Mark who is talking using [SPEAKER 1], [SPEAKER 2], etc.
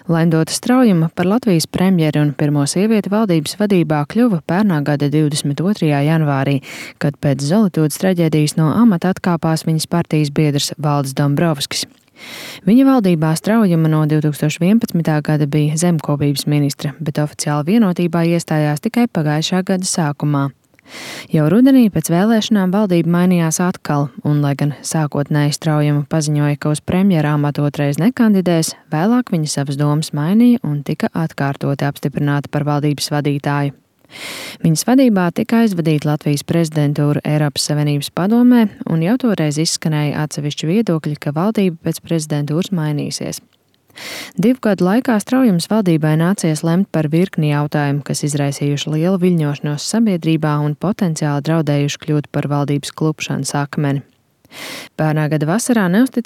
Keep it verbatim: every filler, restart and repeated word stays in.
[SPEAKER 1] Laindota Straujuma par Latvijas premjeri un pirmo sievieti valdības vadībā kļuva pērnā gada divdesmit otrajā janvārī, kad pēc Zolitūdes traģēdijas no amata atkāpās viņas partijas biedrs Valdis Dombrovskis. Viņa valdībā Straujuma no divi tūkstoši vienpadsmitā gada bija zemkopības ministre, bet oficiāli vienotībā iestājās tikai pagājušā gada sākumā. Jau rudenī pēc vēlēšanām valdība mainījās atkal, un, lai gan sākotnēji Straujuma paziņoja, ka uz premjera amatu otrais nekandidēs, vēlāk viņa savas domas mainīja un tika atkārtoti apstiprināta par valdības vadītāju. Viņas vadībā tika aizvadīta Latvijas prezidentūra Eiropas Savienības padomē, un jau toreiz izskanēja atsevišķi viedokļi, ka valdība pēc prezidentūras mainīsies. Divu gadu laikā Straujumas valdībai nācies lemt par virkni jautājumu, kas izraisījuši lielu viļņošanos sabiedrībā un potenciāli draudējuši kļūt par valdības klupšanas akmeni. Pērnā gada vasarā neusticība